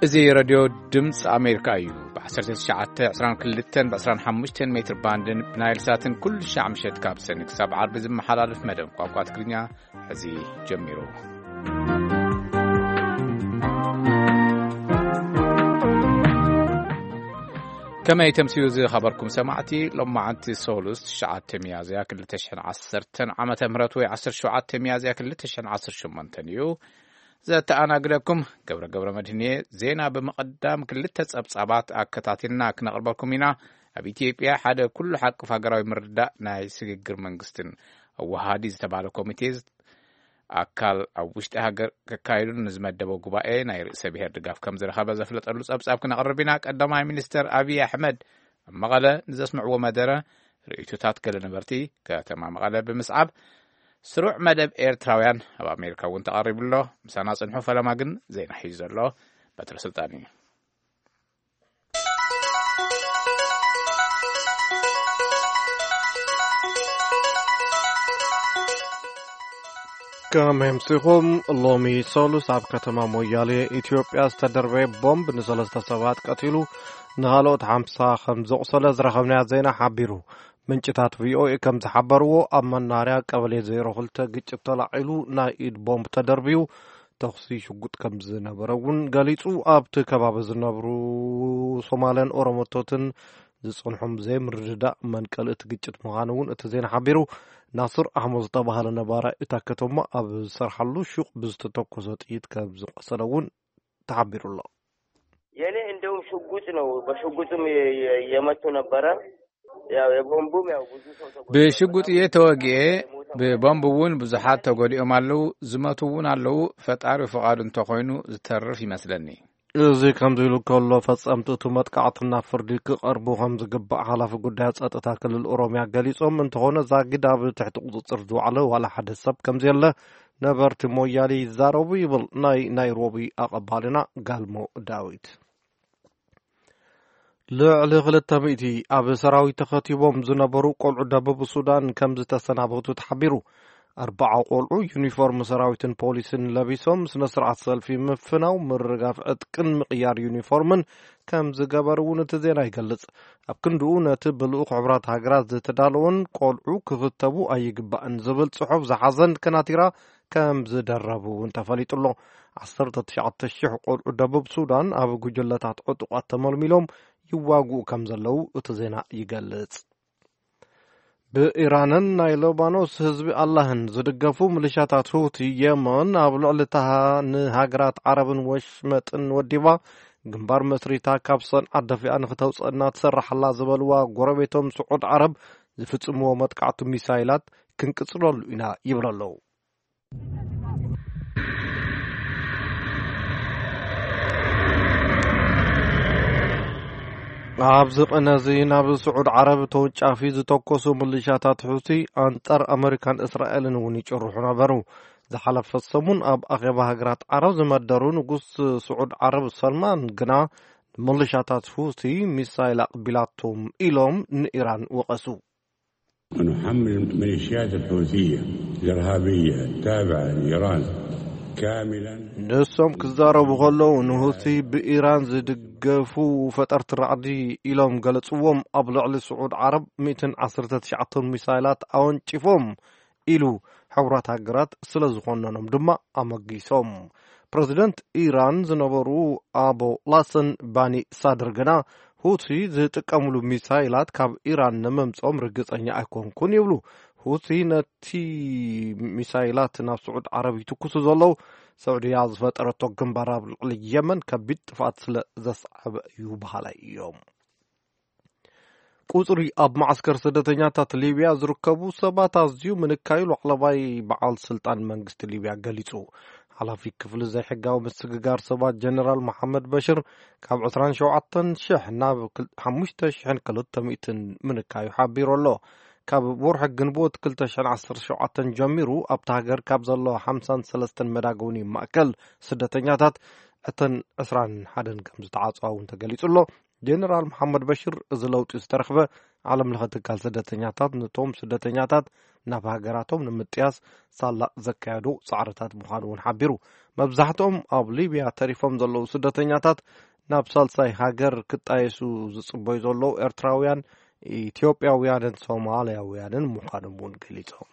እዚ ሬድዮ ድምፂ ኣሜሪካ እዩ። ብ1922 ብ25 ሜትር ባንድን ብናይል ሳትን ኩሉ ሻዕ ምሸት ካብ ሰኒ ክሳብ ዓርቢ ዝመሓላለፍ መደብ ቋንቋ ትግርኛ ሕዚ ጀሚሩ። ከመይ ተምስዩ ዝኸበርኩም ሰማዕቲ? ሎማዓንቲ ሶሉስ 9 ሚያዝያ 2010 ዓመተ ምህረት ወይ 17 ሚያዝያ 2018 እዩ። ዘተኣናግደኩም ገብረ ገብረ መድህን እየ። ዜና ብምቕዳም ክልተ ጸብጻባት ኣከታቲልና ክነቕርበልኩም ኢና። ኣብ ኢትዮጵያ ሓደ ኩሉ ሓቅፍ ሃገራዊ ምርዳእ ናይ ስግግር መንግስትን ኣወሃሃዲ ዝተባህለ ኮሚቴ ኣካል ኣብ ውሽጢ ሃገር ከካይዱ ንዝመደበ ጉባኤ ናይ ርእሰ ብሔር ድጋፍ ከም ዝረኸበ ዘፍለጠሉ ጸብጻብ ክነቕርብ ኢና። ቀዳማይ ሚኒስተር ኣብይ ኣሕመድ ኣብ መቐለ ንዘስምዕዎ መደረ ርእይቶታት ገለ ነበርቲ ከተማ መቐለ ብምስዓብ ስሩዕ መደብ ኤርትራውያን ኣብ ኣሜሪካ እውን ተቐሪቡ ኣሎ። ምሳና ጽንሑ። ፈለማ ግን ዜና ሒዙ ዘሎ በትረ ስልጣን እዩ። ከም ኣምሲኹም፣ ሎሚ ሰሉስ ኣብ ከተማ ሞያሌ ኢትዮጵያ ዝተደርበየ ቦምብ ንሰለስተ ሰባት ቀቲሉ፣ ንኻልኦት ሓምሳ ከም ዘቑሰለ ዝረኸብናዮ ዜና ሓቢሩ። ምንጭታት ቪኦኤ ከም ዝሓበርዎ፣ ኣብ መናርያ ቀበሌ 02 ግጭት ተላዒሉ፣ ናይ ኢድ ቦምብ ተደርብዩ፣ ተኹሲ ሽጉጥ ከም ዝነበረ እውን ገሊጹ። ኣብቲ ከባቢ ዝነብሩ ሶማልን ኦሮሞቶትን ዝጸንሖም ዘይምርድዳእ መንቀሊ እቲ ግጭት ምዃኑ እውን እቲ ዜና ሓቢሩ። ናስር ኣሕመድ ዝተባህለ ነባራይ እታ ከተማ ኣብ ዝሰርሓሉ ሹቕ ብዝተተኮሰ ጥይት ከም ዝቆሰለ እውን ተሓቢሩ ኣሎ። የኔ እንደውም ሽጉጥ ነው፣ በሽጉጥም የ-፣ የ-፣ የመቱ ነበረ። ያው የቦምቡም ያው ብዙ ሰው ተጎድቶ ብሽጉጥ እየ ተወግኤ። ብቦምብ እውን ብዙሓት ተጎዲኦም ኣለዉ፣ ዝመቱ እውን ኣለዉ። ፈጣሪ ፍቓዱ እንተኾይኑ ዝተርፍ ይመስለኒ። እዚ ከምዚ ኢሉ ከሎ፣ ፈጸምቲ እቲ መጥቃዕቲ ናብ ፍርዲ ክቐርቡ ከም ዝግባእ ሓላፊ ጉዳያት ጸጥታ ክልል ኦሮምያ ገሊጾም። እንተኾነ፣ ዛጊድ ኣብ ትሕቲ ቁጽጽር ዝወዓለ ዋላ ሓደ ሰብ ከም ዘየለ ነበርቲ ሞያሌ ይዛረቡ ይብል ናይ ናይሮቢ ኣቐባልና ጋልሞ ዳዊት። ልዕሊ 200 ኣብ ሰራዊት ተኸቲቦም ዝነበሩ ቆልዑ ደቡብ ሱዳን ከም ዝተሰናበቱ ተሓቢሩ። ኣርባዓ ቆልዑ ዩኒፎርም ሰራዊትን ፖሊስን ለቢሶም ስነ ስርዓት ሰልፊ ምፍናው፣ ምርጋፍ ዕጥቅን ምቕያር ዩኒፎርምን ከም ዝገበሩ እውን እቲ ዜና ይገልጽ። ኣብ ክንድኡ ነቲ ብልኡኽ ሕቡራት ሃገራት ዝተዳለወን ቆልዑ ክኽተቡ ኣይግባእን ዝብል ጽሑፍ ዝሓዘን ከናቲራ ከም ዝደረቡ እውን ተፈሊጡ ኣሎ። 19,000 ቆልዑ ደቡብ ሱዳን ኣብ ጉጅለታት ዕጡቓት ተመልሚሎም ይዋግኡ ከም ዘለዉ እቲ ዜና ይገልጽ። ብኢራንን ናይ ሊባኖስ ህዝቢ ኣላህን ዝድገፉ ምልሻታት ሁቲ የመን ኣብ ልዕሊ እታ ንሃገራት ዓረብን ወሽመጥን ወዲባ ግንባር መስሪታ ካብ ሰንዓ ደፊኣ ንክተውፅእና ትሰርሓላ ዝበልዋ ጎረቤቶም ስዑድ ዓረብ ዝፍጽምዎ መጥቃዕቲ ሚሳይላት ክንቅጽለሉ ኢና ይብሉ ኣለዉ። ኣብዚ ቅነ እዚ ናብ ስዑድ ዓረብ ተወንጫፊ ዝተኮሱ ምልሻታት ሑቲ ኣንጻር ኣመሪካን እስራኤልን እውን ይጭርሑ ነበሩ። ዝሓለፈ ሰሙን ኣብ ኣኼባ ሃገራት ዓረብ ዝመደሩ ንጉስ ስዑድ ዓረብ ሰልማን ግና ንምልሻታት ሑቲ ሚሳይል ኣቕቢላቶም ኢሎም ንኢራን ወቐሱ። ونحمل الميليشيات الحوثية الإرهابية التابعة لإيران كاملا. ንሶም ክዛረቡ ከለዉ ንሁቲ ብኢራን ዝድገፉ ፈጠርቲ ራዕዲ ኢሎም ገለጽዎም። ኣብ ልዕሊ ስዑድ ዓረብ 119 ሚሳይላት ኣወንጭፎም ኢሉ ሕቡራት ሃገራት ስለ ዝኾነኖም ድማ ኣመጊሶም። ፕረዚደንት ኢራን ዝነበሩ ኣቦ ላሰን ባኒ ሳድር ግና ሁቲ ዝጥቀምሉ ሚሳይላት ካብ ኢራን ንምምጾም ርግጸኛ ኣይኮንኩን ይብሉ። ሁቲ ነቲ ሚሳይላት ናብ ስዑድ ዓረብ ይትኩሱ ዘለዉ፣ ሰዑድያ ዝፈጠረቶ ግንባር ኣብ ልዕሊ የመን ከቢድ ጥፍኣት ስለ ዘስዓበ እዩ በሃላይ እዮም። ቁጽሪ ኣብ መዓስከር ስደተኛታት ሊብያ ዝርከቡ ሰባት ኣዝዩ ምንካዩ ላዕለዋይ በዓል ስልጣን መንግስቲ ሊብያ ገሊጹ። ሓላፊ ክፍሊ ዘይሕጋዊ ምስግጋር ሰባት ጀነራል መሓመድ በሽር ካብ 27,000 ናብ ክል-፣ 5,200 ምንካዩ ሓቢሩ ኣሎ። ካብ ወርሒ ግንቦት 2017 ጀሚሩ ኣብታ ሃገር ካብ ዘሎ 53 መዳጎኒ ማእከል ስደተኛታት እተን 21 ከም ዝተዓጽዋ እውን ተገሊጹ ኣሎ። ጀነራል መሓመድ በሽር እዚ ለውጢ ዝተረኽበ ዓለም ለኸ ትካል ስደተኛታት ነቶም ስደተኛታት ናብ ሃገራቶም ንምጥያስ ሳላ ዘካየዱ ጻዕርታት ምዃኑ እውን ሓቢሩ። መብዛሕትኦም ኣብ ሊብያ ተሪፎም ዘለዉ ስደተኛታት ናብ ሳልሳይ ሃገር ክጣየሱ ዝጽበዩ ዘለዉ ኤርትራውያን፣ ኢትዮጵያውያንን ሶማልያውያንን ምዃኖም እውን ገሊጾም።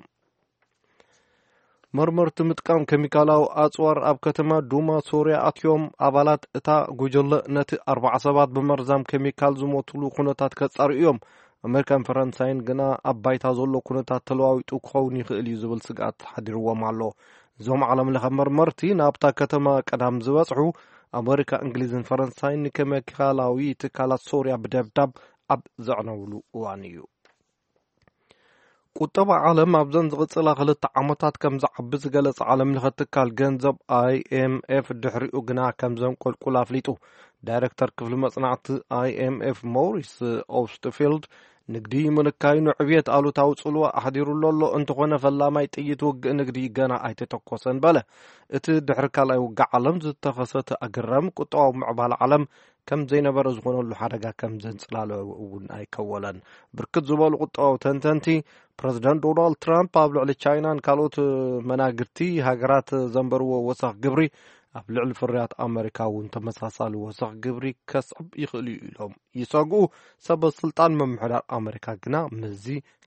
መርመርቲ ምጥቃም ኬሚካላዊ ኣጽዋር ኣብ ከተማ ዱማ ሶርያ ኣትዮም። ኣባላት እታ ጉጅለ ነቲ ኣርባዓ ሰባት ብመርዛም ኬሚካል ዝሞትሉ ኩነታት ከጻርዩ እዮም። ኣሜሪካን ፈረንሳይን ግና ኣብ ባይታ ዘሎ ኩነታት ተለዋዊጡ ክኸውን ይኽእል እዩ ዝብል ስግኣት ሓዲርዎም ኣሎ። እዞም ዓለም ለኸ መርመርቲ ናብታ ከተማ ቀዳም ዝበጽሑ ኣሜሪካ፣ እንግሊዝን ፈረንሳይን ንኬሚካላዊ ትካላት ሶርያ ብደብዳብ ኣብ ዘዕነውሉ እዋን እዩ። ቁጠባ ዓለም ኣብዘን ዝቕጽላ ክልተ ዓመታት ከም ዝዓቢ ዝገለጸ ዓለም ለኸ ትካል ገንዘብ ኣይኤምኤፍ ድሕሪኡ ግና ከም ዘንቆልቁል ኣፍሊጡ። ዳይሬክተር ክፍሊ መጽናዕቲ ኣይኤምኤፍ ሞሪስ ኦስትፊልድ ንግዲ ምንካዩ ንዕብየት ኣሉታዊ ጽልዋ ኣሕዲሩሉ ኣሎ፣ እንተኾነ ፈላማይ ጥይት ውግእ ንግዲ ገና ኣይተተኮሰን በለ። እቲ ድሕሪ ካልኣይ ውግእ ዓለም ዝተኸሰተ ኣገራሚ ቁጠባዊ ምዕባለ ዓለም ከም ዘይነበረ ዝኾነሉ ሓደጋ ከም ዘንጽላለ እውን ኣይከወለን። ብርክት ዝበሉ ቁጠባዊ ተንተንቲ፣ ፕረዚደንት ዶናልድ ትራምፕ ኣብ ልዕሊ ቻይናን ካልኦት መናግርቲ ሃገራት ዘንበርዎ ወሰኽ ግብሪ ኣብ ልዕሊ ፍርያት ኣመሪካ እውን ተመሳሳሊ ወሰኽ ግብሪ ከስዕብ ይኽእል እዩ ኢሎም ይሰግኡ። ሰበ ስልጣን ምምሕዳር ኣመሪካ ግና ምስዚ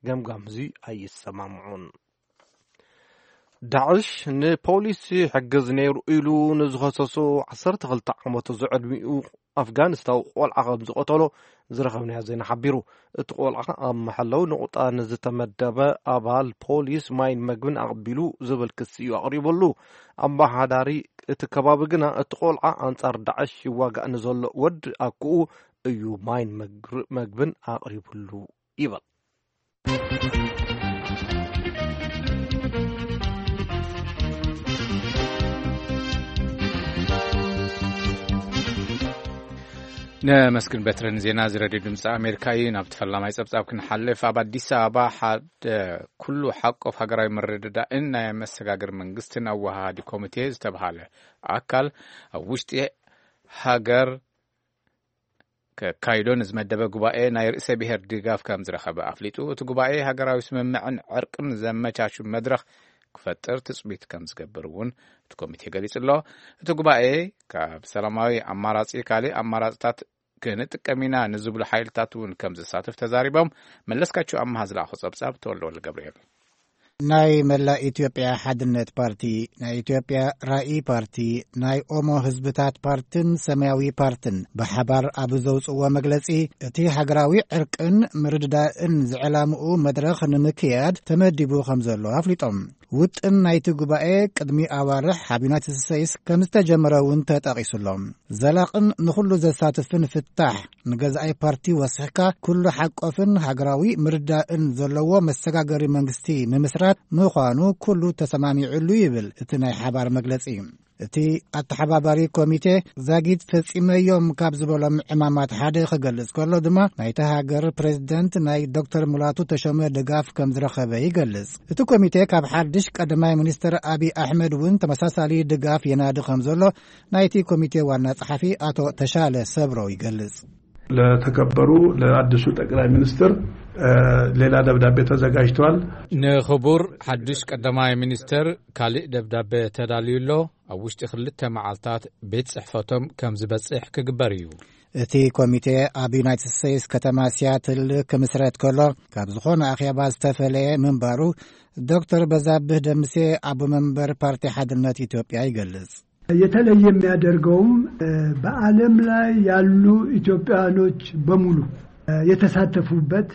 ገምጋም እዚ ኣይሰማምዑን። ዳዕሽ ንፖሊስ ይሕግዝ ነይሩ ኢሉ ንዝኸሰሶ ዓሰርተ ክልተ ዓመቱ ዝዕድሚኡ ኣፍጋኒስታዊ ቆልዓ ከም ዝቐተሎ ዝረኸብናዮ ዜና ሓቢሩ። እቲ ቆልዓ ኣብ መሐለዊ ነቑጣ ንዝተመደበ ኣባል ፖሊስ ማይን መግብን ኣቕቢሉ ዝብል ክሲ እዩ ኣቕሪቡሉ። ኣመሓዳሪ እቲ ከባቢ ግና እቲ ቆልዓ ኣንጻር ዳዕሽ ይዋጋእ ንዘሎ ወዲ ኣኩኡ እዩ ማይን መግር-፣ መግብን ኣቕሪቡሉ ይብል። ነመስግን በትረን ዜና እዚ ሬድዮ ድምፂ ኣሜሪካ እዩ። ናብ ተፈላማይ ፀብፃብ ክንሓልፍ፣ ኣብ ኣዲስ ኣበባ ሓደ ኩሉ ሓቆፍ ሃገራዊ ምርድዳእን ናይ መሰጋገሪ መንግስትን ኣወሃሃዲ ኮሚቴ ዝተብሃለ ኣካል ኣብ ውሽጢ ሃገር ከካይዶ ንዝመደበ ጉባኤ ናይ ርእሰ ብሔር ድጋፍ ከም ዝረኸበ ኣፍሊጡ። እቲ ጉባኤ ሃገራዊ ስምምዕን ዕርቅን ዘመቻቹ መድረኽ ክፈጥር ትጽቢት ከም ዝገብር እውን እቲ ኮሚቴ ገሊጹ ኣሎ። እቲ ጉባኤ ካብ ሰላማዊ ኣማራጺ ካልእ ኣማራጽታት ክንጥቀም ኢና ንዝብሉ ሓይልታት እውን ከም ዝሳተፍ ተዛሪቦም። መለስካቸው ኣማሃ ዝለኣኾ ጸብጻብ ተወልደ ወልደ ገብርኤል። ናይ መላእ ኢትዮጵያ ሓድነት ፓርቲ፣ ናይ ኢትዮጵያ ራኢ ፓርቲ፣ ናይ ኦሞ ህዝብታት ፓርትን ሰማያዊ ፓርትን ብሓባር ኣብ ዘውፅዎ መግለፂ፣ እቲ ሃገራዊ ዕርቅን ምርድዳእን ዝዕላምኡ መድረኽ ንምክያድ ተመዲቡ ከም ዘሎ ኣፍሊጦም። ውጥን ናይቲ ጉባኤ ቅድሚ ኣዋርሕ ኣብ ዩናይትድ ስቴትስ ከም ዝተጀመረ እውን ተጠቒሱሎም። ዘላቕን ንኹሉ ዘሳትፍን ፍታሕ፣ ንገዛኢ ፓርቲ ወሲኽካ ኩሉ ሓቆፍን ሃገራዊ ምርዳእን ዘለዎ መሰጋገሪ መንግስቲ ምምስራት ምዃኑ ኩሉ ተሰማሚዑሉ ይብል እቲ ናይ ሓባር መግለጺ። እቲ ኣተሓባባሪ ኮሚቴ ዛጊት ፈጺመዮም ካብ ዝበሎም ዕማማት ሓደ ክገልጽ ከሎ ድማ ናይታ ሃገር ፕሬዝደንት ናይ ዶክተር ሙላቱ ተሾመ ድጋፍ ከም ዝረኸበ ይገልጽ። እቲ ኮሚቴ ካብ ሓድሽ ቀዳማይ ሚኒስትር ኣብይ ኣሕመድ እውን ተመሳሳሊ ድጋፍ የናዲ ከም ዘሎ ናይቲ ኮሚቴ ዋና ጸሓፊ ኣቶ ተሻለ ሰብሮ ይገልጽ። ለተከበሩ ለአዲሱ ጠቅላይ ሚኒስትር፣ እ፣ ሌላ ደብዳቤ ተዘጋጅቷል። ንኽቡር ሓድሽ ቀዳማይ ሚኒስትር ካልእ ደብዳቤ ተዳልዩ ኣሎ። ኣብ ውሽጢ ክልተ መዓልታት ቤት ጽሕፈቶም ከም ዝበጽሕ ክግበር እዩ። እቲ ኮሚቴ ኣብ ዩናይትድ ስቴትስ ከተማ ሲያትል ክምስረት ከሎ፣ ካብ ዝኾነ ኣኼባ ዝተፈለየ ምንባሩ ዶክተር በዛብህ ደምሴ፣ ኣቦ መንበር ፓርቲ ሓድነት ኢትዮጵያ ይገልጽ። የተለየ የሚያደርገውም፣ እ፣ በዓለም ላይ ያሉ ኢትዮጵያኖች በሙሉ፣ እ፣ የተሳተፉበት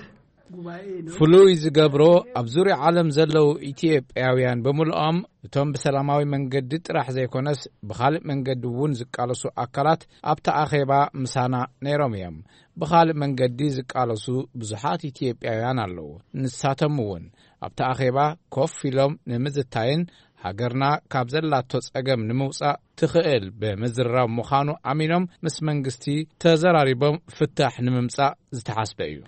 ጉባኤ ነው። ፍሉይ ዝገብሮ፣ ኣብ ዙርያ ዓለም ዘለዉ ኢትዮጵያውያን ብምልኦም፣ እቶም ብሰላማዊ መንገዲ ጥራሕ ዘይኮነስ፣ ብኻልእ መንገዲ እውን ዝቃለሱ ኣካላት ኣብቲ ኣኼባ ምሳና ነይሮም እዮም። ብኻልእ መንገዲ ዝቃለሱ ብዙሓት ኢትዮጵያውያን ኣለዉ። ንሳቶም እውን ኣብቲ ኣኼባ ኮፍ ኢሎም ንምዝታይን ሃገርና ካብ ዘላቶ ጸገም ንምውጻእ ትኽእል ብምዝርራብ ምዃኑ ኣሚኖም፣ ምስ መንግስቲ ተዘራሪቦም ፍታሕ ንምምጻእ ዝተሓስበ እዩ።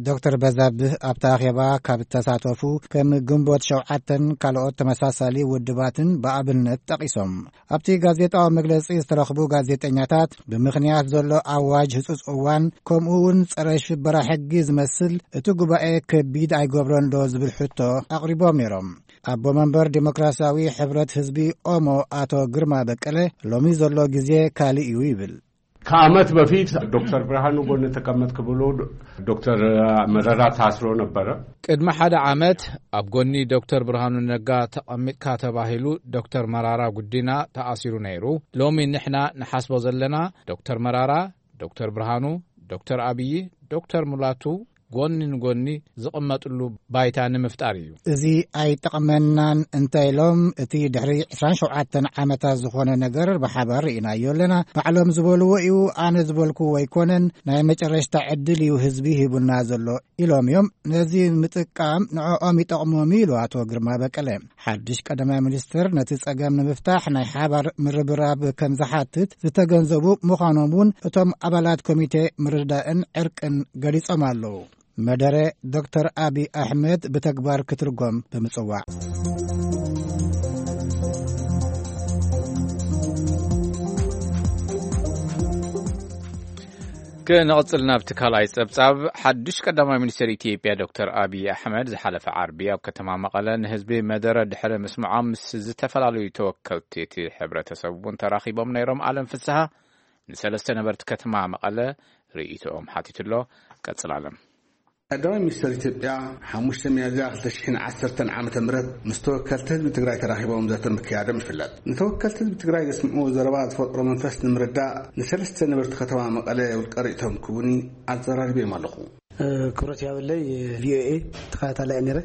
ዶክተር በዛብህ ኣብቲ ኣኼባ ካብ እተሳተፉ ከም ግንቦት ሸውዓተን ካልኦት ተመሳሳሊ ውድባትን ብኣብነት ጠቒሶም። ኣብቲ ጋዜጣዊ መግለጺ ዝተረኽቡ ጋዜጠኛታት፣ ብምኽንያት ዘሎ ኣዋጅ ህጹጽ እዋን፣ ከምኡ እውን ጸረ ሽበራ ሕጊ ዝመስል፣ እቲ ጉባኤ ከቢድ ኣይገብሮን ዶ ዝብል ሕቶ ኣቕሪቦም ነይሮም። ኣቦ መንበር ዴሞክራሲያዊ ሕብረት ህዝቢ ኦሞ ኣቶ ግርማ በቀለ፣ ሎሚ ዘሎ ግዜ ካልእ እዩ ይብል። ከዓመት በፊት ዶክተር ብርሃኑ ጎን ተቀመጥክ ብሎ ዶክተር መረራ ታስሮ ነበረ። ቅድሚ ሓደ ዓመት ኣብ ጎኒ ዶክተር ብርሃኑ ነጋ ተቐሚጥካ ተባሂሉ ዶክተር መራራ ጉዲና ተኣሲሩ ነይሩ። ሎሚ ንሕና ንሓስቦ ዘለና ዶክተር መራራ፣ ዶክተር ብርሃኑ፣ ዶክተር ኣብዪ፣ ዶክተር ሙላቱ ጎኒ ንጎኒ ዝቕመጥሉ ባይታ ንምፍጣር እዩ። እዚ ኣይጠቕመናን እንተ ኢሎም፣ እቲ ድሕሪ ዕስራን ሸውዓተን ዓመታት ዝኾነ ነገር ብሓባር ርኢናዮ ኣለና። ባዕሎም ዝበልዎ እዩ፣ ኣነ ዝበልኩዎ ኣይኮነን። ናይ መጨረሽታ ዕድል እዩ ህዝቢ ሂቡና ዘሎ ኢሎም እዮም። ነዚ ምጥቃም ንዕኦም ይጠቕሞም እዩ ኢሉ ኣቶ ግርማ በቀለ። ሓድሽ ቀዳማይ ሚኒስትር ነቲ ጸገም ንምፍታሕ ናይ ሓባር ምርብራብ ከም ዝሓትት ዝተገንዘቡ ምዃኖም እውን እቶም ኣባላት ኮሚቴ ምርዳእን ዕርቅን ገሊጾም ኣለዉ። መደረ ዶክተር ኣቢ ኣሕመድ ብተግባር ክትርጎም ብምጽዋዕ። ክንቕጽል ናብቲ ካልኣይ ጸብጻብ። ሓድሽ ቀዳማይ ሚኒስትር ኢትዮጵያ ዶክተር ኣብይ ኣሕመድ ዝሓለፈ ዓርቢ ኣብ ከተማ መቐለ ንህዝቢ መደረ ድሕሪ ምስምዖም ምስ ዝተፈላለዩ ተወከልቲ እቲ ሕብረተሰብ እውን ተራኺቦም ነይሮም። ኣለም ፍስሃ ንሰለስተ ነበርቲ ከተማ መቐለ ርእይቶኦም ሓቲቱ ኣሎ። ቀጽል ኣለም። ቀዳማይ ሚኒስትር ኢትዮጵያ ሓሙሽተ ሚያዝያ ክልተ ሽሕን ዓሰርተን ዓመተ ምህረት ምስ ተወከልቲ ህዝቢ ትግራይ ተራኺቦም ዘተ ምክያዶም ይፍለጥ። ንተወከልቲ ህዝቢ ትግራይ ዘስምዕዎ ዘረባ ዝፈጥሮ መንፈስ ንምርዳእ ንሰለስተ ነበርቲ ከተማ መቐለ ውልቀ ርእይቶም ክቡኒ ኣዘራሪበዮም ኣለኹ። ክብረት ያበለይ። ቪኦኤ ተኸታታላይ ነረ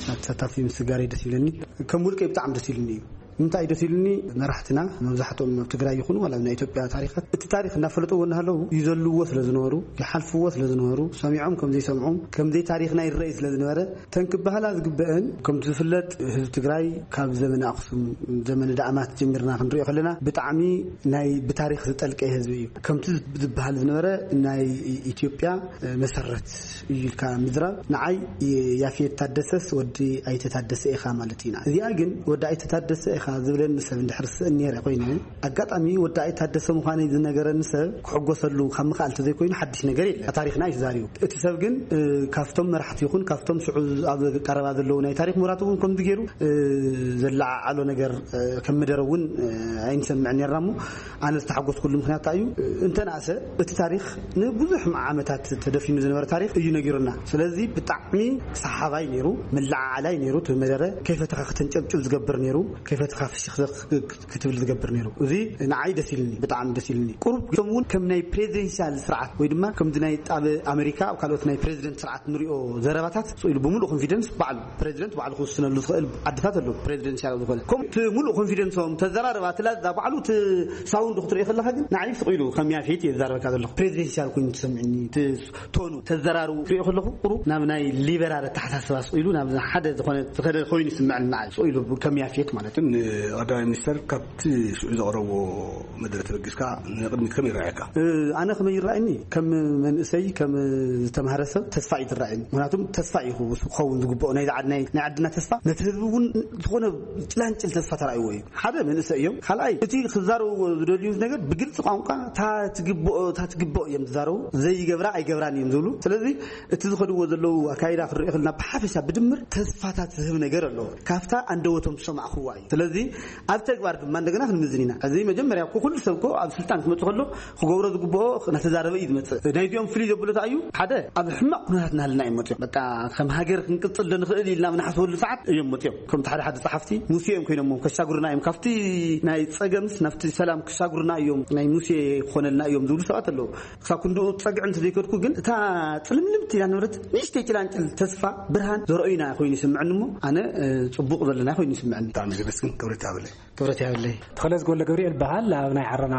ናብ ተሳታፊ ምስጋር ደስ ይብለኒ። ከም ውልቀ ብጣዕሚ ደስ ይብለኒ እዩ። እንታይ ደስ ኢሉኒ፣ መራሕትና መብዛሕትኦም ኣብ ትግራይ ይኹኑ ዋላ ኣብ ናይ ኢትዮጵያ ታሪኻት እቲ ታሪኽ እናፈለጥዎ እናሃለዉ ይዘልዎ ስለ ዝነበሩ፣ ይሓልፍዎ ስለ ዝነበሩ፣ ሰሚዖም ከም ዘይሰምዑ፣ ከም ዘይታሪኽና ይረኣዩ ስለ ዝነበረ፣ ተን ክበሃላ ዝግበአን፣ ከምቲ ዝፍለጥ ህዝቢ ትግራይ ካብ ዘመነ ኣኽሱም፣ ዘመነ ዳእማት ጀሚርና ክንሪኦ ከለና ብጣዕሚ ናይ ብታሪኽ ዝጠልቀ ህዝቢ እዩ። ከምቲ ዝበሃል ዝነበረ ናይ ኢትዮጵያ መሰረት እዩ ኢልካ ምዝራብ፣ ንዓይ ያፌት ታደሰስ ወዲ ኣይተ ታደሰ ኢኻ ማለት ኢና። እዚኣ ግን ወዲ ኣይተ ታደሰ ኢኻ ዝብለኒ ሰብ እንድሕር ስእን ነይረ ኮይነ፣ ኣጋጣሚ ወዲ ኣይተ ታደሰ ምዃነይ ዝነገረኒ ሰብ ክሕጎሰሉ ካብ ምኽኣል ተዘይኮይኑ ሓድሽ ነገር የለን። ታሪኽና እዩ ተዛሪቡ። እቲ ሰብ ግን፣ እ፣ ካብቶም መራሕቲ ይኹን ካብቶም ሽዑ ኣብ ቀረባ ዘለዉ ናይ ታሪኽ ምሁራት እውን ከምዚ ገይሩ፣ እ፣ ዘለዓዓሎ ነገር፣ እ፣ ከም መደረ እውን፣ እ፣ ኣይንሰምዕን ነርና እሞ፣ ኣነ ዝተሓጎስኩሉ ምኽንያት እንታይ እዩ? እንተንኣሰ እቲ ታሪኽ ንብዙሕ ዓመታት ተደፊኑ ዝነበረ ታሪኽ እዩ ነጊሩና። ስለዚ ብጣዕሚ ሰሓባይ ነይሩ፣ መለዓዓላይ ነይሩ። እቲ መደረ ከይፈተኻ ከተንጨብጭብ ዝገብር ነይሩ፣ ከይፈተኻ ፍሽኽ ክትብል ዝገብር ነይሩ። እዚ ንዓይ ደስ ኢልኒ፣ ብጣዕሚ ደስ ኢልኒ። ቁሩብ እቶም እውን ከም ናይ ፕሬዚደንሻል ስርዓት ወይ ድማ ከምዚ ናይ ኣብ ኣሜሪካ ኣብ ካልኦት ናይ ፕሬዚደንት ስርዓት ንሪኦ ዘረባታት ስቕ ኢሉ ብምሉእ ኮንፊደንስ ባዕሉ ፕሬዚደንት ባዕሉ ክውስነሉ ዝኽእል ዓድታት ኣለዉ። ፕሬዚደንሻል ዝኾነ ከም እቲ ሙሉእ ኮንፊደንሶም ተዘራረባ እቲ ላዛ ባዕሉ እቲ ሳውንድ ክትሪኦ ከለኻ ግን ንዓይ ስቕ ኢሉ ከም ያፌት እየ ዝዛረበካ ዘለኹ። ፕሬዚደንሻል ኮይኑ ትሰምዕኒ፣ እቲ ቶኑ ተዘራርቡ ክሪኦ ከለኹ ቁሩብ ናብ ናይ ሊበራል ኣተሓሳስባ ስቕ ኢሉ ናብ ሓደ ዝኾነ ዝኸደ ኮይኑ ይስምዐኒ ንዓይ ስቕ ኢሉ ከም ያፌት ማለት እዩ። ግን ቀዳማይ ሚኒስተር ካብቲ ሽዑ ዘቕረቦ መደረ ተበጊስካ ንቕድሚት ከመይ ይረኣየካ? እ፣ ኣነ ከመይ ይረኣየኒ? ከም መንእሰይ፣ ከም ዝተማህረ ሰብ ተስፋ እዩ ዝረኣየኒ። ምክንያቱም ተስፋ እዩ ክኸውን ዝግብኦ ናይዚ ዓድ፣ ናይ፣ ናይ ዓድና ተስፋ። ነቲ ህዝቢ እውን ዝኾነ ጭላንጭል ተስፋ ተራእይዎ እዩ። ሓደ መንእሰይ እዮም። ካልኣይ እቲ ክዛረብዎ ዝደልዩ ነገር ብግልፂ ቋንቋ እታ ትግብኦ፣ እታ ትግብኦ እዮም ዝዛረቡ። ዘይገብራ ኣይገብራን እዮም ዝብሉ። ስለዚ እቲ ዝኸድዎ ዘለዉ ኣካይዳ ክንሪኦ ከለና ብሓፈሻ ብድምር ተስፋታት ዝህብ ነገር ኣለዎ። ካብታ ኣንደበቶም ዝሰማዕኽዋ እዩ። ስለዚ ኣብ ተግባር ድማ እንደገና ክንምዝን ኢና። እዚ መጀመርያ እኮ ኩሉ ሰብ እኮ ኣብ ስልጣን ክመጽእ ከሎ ክገብሮ ዝግብኦ እናተዛረበ እዩ ዝመጽእ። ናይዚኦም ፍልይ ዘብሎ እንታይ እዩ? ሓደ ኣብ ሕማቕ ኩነታት እናሃለና እዮም መጽኦም። በቃ ከም ሃገር ክንቅጽል ዶ ንኽእል ኢልና ኣብ ንሓስበሉ ሰዓት እዮም መጽኦም። ከምቲ ሓደ ሓደ ጸሓፍቲ ሙሴ እዮም ኮይኖም ከሻግሩና እዮም። ካብቲ ናይ ጸገምስ ናብቲ ሰላም ክሻግሩና እዮም፣ ናይ ሙሴ ክኾነልና እዮም ዝብሉ ሰባት ኣለዉ። ክሳብ ክንድኡ ጸግዒ እንተዘይከድኩ ግን እታ ጽልምልምቲ ኢላ ነበረት ንእሽተይ ጭላንጭል ተስፋ ብርሃን ዘርእዩና ኮይኑ ይስምዐኒ እሞ ኣነ፣ እ፣ ጽቡቕ ዘለና ኮይኑ ይስምዐኒ። ብጣዕሚ ዘመስግን ክብረት ይሃበለይ። ክብረት ይሃበለይ። ተኸለ ዝጎለ ገብርኤል በሃል ኣብ ናይ ዓረና፣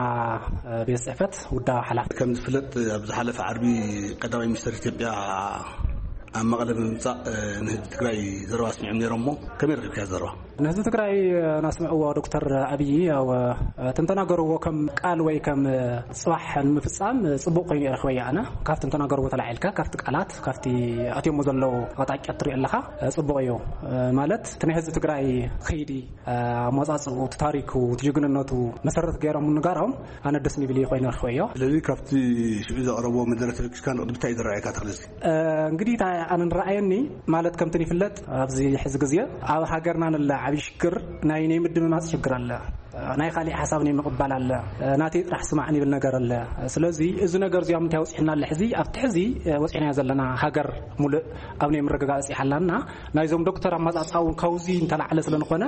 እ፣ ቤት ጽሕፈት ውዳዊ ሓላፊ። ከም ዝፍለጥ ኣብ ዝሓለፈ ዓርቢ ቀዳማይ ሚኒስትር ኢትዮጵያ ኣብ መቐለ ብምምጻእ፣ እ፣ ንህዝቢ ትግራይ ዘረባ ኣስሚዖም ነይሮም። እሞ ከመይ ረኺብካዮ ዘረባ? ንህዝቢ ትግራይ፣ እ፣ ናስምዕዎ ዶክተር ኣብይ፣ ያው፣ እ፣ ትንተና ገርዎ ከም ቃል ወይ ከም፣ እ፣ ጽባሕ ንምፍጻም፣ እ፣ ጽቡቕ ኮይኑ ረኽበያ ኣነ። ካብቲ ትንተና ገርዎ ተላዒልካ፣ ካብቲ ቃላት፣ ካብቲ ኣትዮሞ ዘለዉ ኣቕጣጫ ትሪኦ ኣለኻ፣ እ፣ ጽቡቕ እዩ። እ፣ ማለት እቲ ናይ ህዝቢ ትግራይ ኸይዲ፣ እ፣ ኣመጻጽኡ፣ እቲ ታሪኩ፣ እቲ ጅግንነቱ መሰረት ገይሮም ምንጋሮም ኣነ ደስ ንብል እዩ ኮይኑ ረኽበዮ። ስለዚ ካብቲ ሽዑ ዘቕረብዎ መደረ ተበጊስካ ንቕድሚት እንታይ እዩ ዝረኣየካ እቲ ክልል? እ፣ እንግዲህ እታ ኣነ ንረኣየኒ ማለት ከምቲ ይፍለጥ ኣብዚ ሕዚ ግዜ ኣብ ሃገርና ንለ ዓብዪ ሽግር ናይ ናይ ምድምማፅ ሽግር ኣለ። ናይ ካሊእ ሓሳብ ናይ ምቕባል ኣለ። ናተይ ጥራሕ ስማዕ ንብል ነገር ኣለ። ስለዚ እዚ ነገር እዚኦም እንታይ ወፂሕና ኣለ ሕዚ ኣብቲ ሕዚ ወፂሕናዮ ዘለና ሃገር ሙሉእ ኣብ ናይ ምርግጋፅ ይሓላና ናይዞም ዶክተር ኣመፃፅኣ እውን ካብዚ እንተላዕለ ስለንኾነ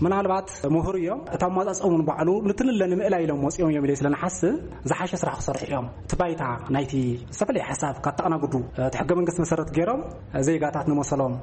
ምናልባት ምሁር እዮም። እቲ ኣመፃፅኦም እውን ባዕሉ ንትንለ ንምእላይ ኢሎም ወፂኦም እዮም ኢለ ስለንሓስብ ዝሓሸ ስራሕ ክሰርሑ እዮም። እቲ ባይታ ናይቲ ዝተፈላለየ ሓሳብ ካብ ተኣናግዱ፣ እቲ ሕገ መንግስቲ መሰረት ገይሮም ዜጋታት ንመሰሎም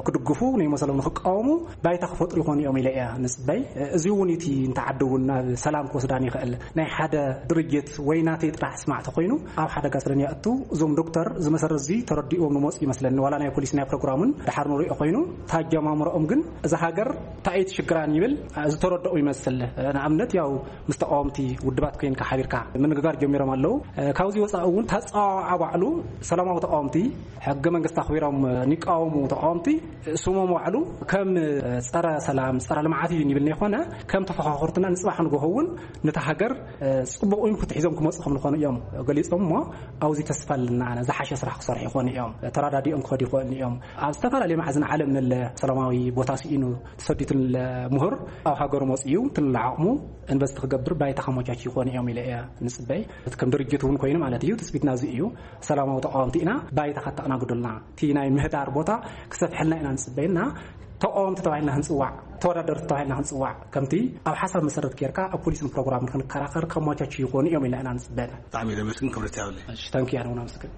ክድግፉ፣ ንመሰሎም ንክቃወሙ ባይታ ክፈጥሩ ይኾኑ እዮም ኢለ እየ ንፅበይ። እዚ እውን እቲ እንተ ዓዲ እውን ናብ ሰላም ክወስዳን ይኽእል። ናይ ሓደ ድርጅት ወይ ናተይ ጥራሕ ስማዕ ተኮይኑ ኣብ ሓደጋ ስለንየእቱ እዞም ዶክተር እዚ መሰረት እዚ ተረዲእዎም ንመፁ ይመስለኒ። ዋላ ናይ ፖሊሲ ናይ ፕሮግራምን ድሓር ንሪኦ ኮይኑ፣ እቲ ኣጀማምርኦም ግን እዛ ሃገር እንታይ እዩ ሽግራን ይብል ዝተረድኦ ይመስል። ንኣብነት ያው ምስ ተቃወምቲ ውድባት ኮይንካ ሓቢርካ ምንግጋር ጀሚሮም ኣለዉ። ካብዚ ወፃኢ እውን ተፀዋዓ ባዕሉ ሰላማዊ ተቃወምቲ ሕገ መንግስቲ ኣኽቢሮም ንቃወሙ ተቃወምቲ ስሞም ባዕሉ ከም ፀረ ሰላም፣ ፀረ ልምዓት እዩ ንብል ነይኮነ ከም ተፈኻኸርትና ንፅባሕ ንጎሆ እውን ነታ ሃገር ፅቡቅ ኢንፑት ሒዞም ክመፁ ከም ዝኾኑ እዮም ገሊፆም። እሞ ኣብዚ ተስፋ ኣለና ኣነ ዝሓሸ ስራሕ ክሰርሑ ይኾኑ እዮም። ተራዳዲኦም ክኸዱ ይኽእሉ እዮም። ኣብ ዝተፈላለዩ መዓዝን ዓለም ንለ ሰላማዊ ቦታ ስኢኑ ተሰዲቱ ንለ ምሁር ኣብ ሃገሩ መፅኡ እዩ ትንለ ዓቕሙ ኢንቨስት ክገብር ባይታ ከመቻች ይኾኑ እዮም ኢለ እየ ንፅበይ። እቲ ከም ድርጅት እውን ኮይኑ ማለት እዩ ትፅቢትና እዚ እዩ። ሰላማዊ ተቃወምቲ ኢና፣ ባይታ ከተኣናግዱልና እቲ ናይ ምህዳር ቦታ ክሰፍሐልና ኢና ንፅበይና። ተቃወምቲ ተባሂልና ክንፅዋዕ፣ ተወዳደርቲ ተባሂልና ክንፅዋዕ ከምቲ ኣብ ሓሳብ መሰረት ጌርካ ኣብ ፖሊስን ፕሮግራምን ክንከራኸር ከመቻች ይኾኑ እዮም ኢልና ኢና ንፅበይና። ብጣዕሚ ደመስግን ክብረት ያብለይ። እሺ፣ ታንኪ፣ ኣነ እውን ኣመስግን።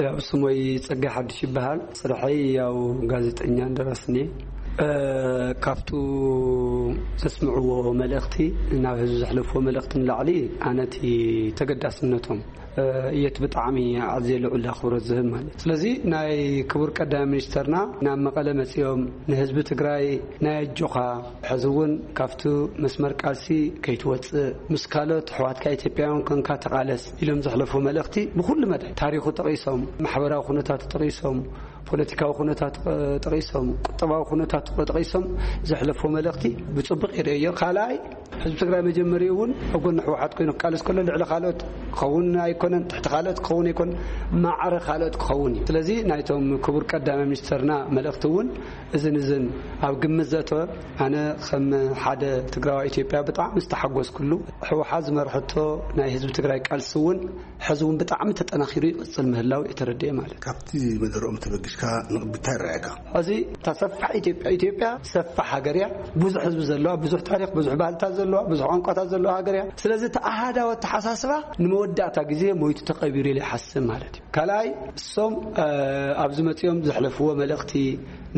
ያው ስሞይ ጸጋይ ሓድሽ ይበሃል። ስርሐይ ያው ጋዜጠኛ ደራስን እየ። እ፣ ካብቱ ዘስምዕዎ መልእኽቲ፣ ናብ ህዝቢ ዘሕለፍዎ መልእኽቲ ንላዕሊ ኣነቲ ተገዳስነቶም፣ እ፣ እየት ብጣዕሚ ኣዝየ ልዑል ኣኽብሮት ዝህብ ማለት። ስለዚ ናይ ክቡር ቀዳማይ ሚኒስተርና ናብ መቐለ መጺኦም ንህዝቢ ትግራይ ናይ ኣጆኻ፣ ሕዚ እውን ካብቲ መስመር ቃልሲ ከይትወጽእ፣ ምስ ካልኦት ኣሕዋትካ ኢትዮጵያውያን ኮንካ ተቓለስ ኢሎም ዘሕለፉ መልእኽቲ ብኹሉ መዳይ ታሪኹ ጠቒሶም፣ ማሕበራዊ ኩነታቱ ጠቒሶም፣ ፖለቲካዊ ኩነታቱ ጠቒሶም፣ ቁጠባዊ ኩነታቱ ጠቒሶም ዘሕለፉ መልእኽቲ ብጽቡቕ ይርእዮ። ካልኣይ ህዝቢ ትግራይ መጀመሪኡ እውን ኣብ ጎኒ ህወሓት ኮይኑ ክቃለስ ከሎ ልዕሊ ካልኦት ክኸውን ኣይኮነን፣ ትሕቲ ካልኦት ክኸውን ኣይኮነን፣ ማዕረ ካልኦት ክኸውን እዩ። ስለዚ ናይቶም ክቡር ቀዳማይ ሚኒስተርና መልእኽቲ እውን እዝን እዝን ኣብ ግምት ዘእተወ፣ ኣነ ከም ሓደ ትግራዋይ ኢትዮጵያ ብጣዕሚ ዝተሓጎስኩሉ፣ ህወሓት ዝመርሐቶ ናይ ህዝቢ ትግራይ ቃልሲ እውን ሕዚ እውን ብጣዕሚ ተጠናኺሩ ይቕፅል ምህላው የተረድኤ ማለት እዩ። ካብቲ መደረኦም ተበጊስካ ንቕድሚት እንታይ ይረኣየካ? እዚ እታ ሰፋሕ ኢትዮጵያ፣ ኢትዮጵያ ሰፋሕ ሃገር እያ። ብዙሕ ህዝቢ ዘለዋ፣ ብዙሕ ታሪኽ፣ ብዙሕ ባህልታት ዘለዋ፣ ብዙሕ ቋንቋታት ዘለዋ ሃገር እያ። ስለዚ እቲ ኣሃዳዊ ኣተሓሳስባ ንመወዳእታ ግዜ ሞይቱ ተቐቢሩ ኢለ ይሓስብ ማለት እዩ። ካልኣይ እሶም፣ እ፣ ኣብዚ መፂኦም ዘሕለፍዎ መልእኽቲ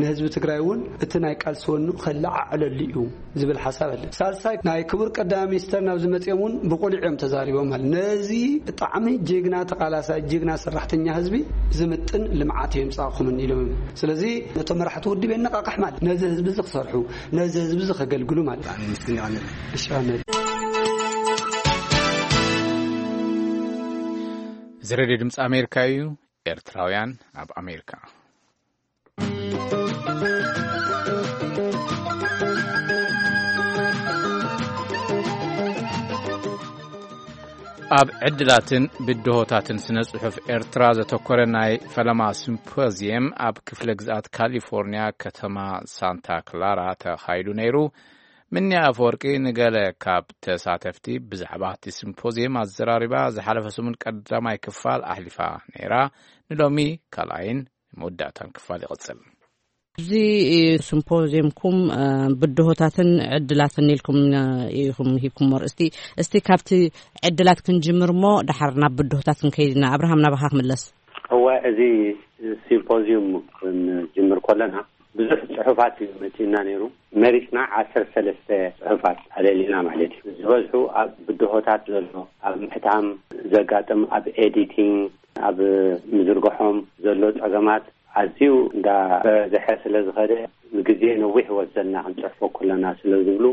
ንህዝቢ ትግራይ እውን እቲ ናይ ቃልሲ ወኑ ከለዓዕለሉ እዩ ዝብል ሓሳብ ኣለ። ሳልሳይ ናይ ክቡር ቀዳማይ ሚኒስተር ናብዚ መፂኦም እውን ብቁሉዕ እዮም ተዛሪቦም ማለት ነዚ ብጣዕሚ ጅግና ተቓላሳይ ጅግና ሰራሕተኛ ህዝቢ ዝምጥን ልምዓት እዮም ፃእኹምን ኢሎም። ስለዚ ነቶም መራሕቲ ውድብ የነቃቕሕ ማለት ነዚ ህዝቢ እዚ ክሰርሑ ነዚ ህዝቢ እዚ ከገልግሉ ማለት። ብጣዕሚ ምስግን ይቐንል። እሺ፣ ኣነ እዚ ሬድዮ ድምፂ ኣሜሪካ እዩ። ኤርትራውያን ኣብ ኣሜሪካ። ኣብ ዕድላትን ብድሆታትን ስነ ጽሑፍ ኤርትራ ዘተኮረ ናይ ፈለማ ሲምፖዚየም ኣብ ክፍለ ግዝኣት ካሊፎርኒያ ከተማ ሳንታ ክላራ ተኻይዱ ነይሩ። ምንያ ኣፈወርቂ ንገለ ካብ ተሳተፍቲ ብዛዕባ እቲ ሲምፖዚየም ኣዘራሪባ ዝሓለፈ ሰሙን ቀዳማይ ክፋል ኣሕሊፋ ነይራ። ንሎሚ ካልኣይን መወዳእታን ክፋል ይቕጽል። እዚ ሲምፖዚየምኩም፣ እ፣ ብድሆታትን ዕድላትን ኢልኩም፣ እ፣ ኢኹም ሂብኩሞ ኣርእስቲ። እስቲ ካብቲ ዕድላት ክንጅምር እሞ ድሓር ናብ ብድሆታት ክንከይድ ኢና። ኣብርሃም፣ ናባኻ ክምለስ። እወ፣ እዚ ሲምፖዚየም ክንጅምር ከለና ብዙሕ ጽሑፋት እዩ መጺእና ነይሩ። መሪጽና ዓሰርተ ሰለስተ ጽሑፋት ኣለሊና ማለት እዩ። ዝበዝሑ ኣብ ብድሆታት ዘሎ፣ ኣብ ምሕታም ዘጋጥም፣ ኣብ ኤዲቲንግ፣ ኣብ ምዝርግሖም ዘሎ ጸገማት፣ ኣዝዩ እንዳበዝሐ ስለ ዝኸደ፣ ግዜ ነዊሕ ይወስደልና ክንጽሕፎ ከለና ስለ ዝብሉ፣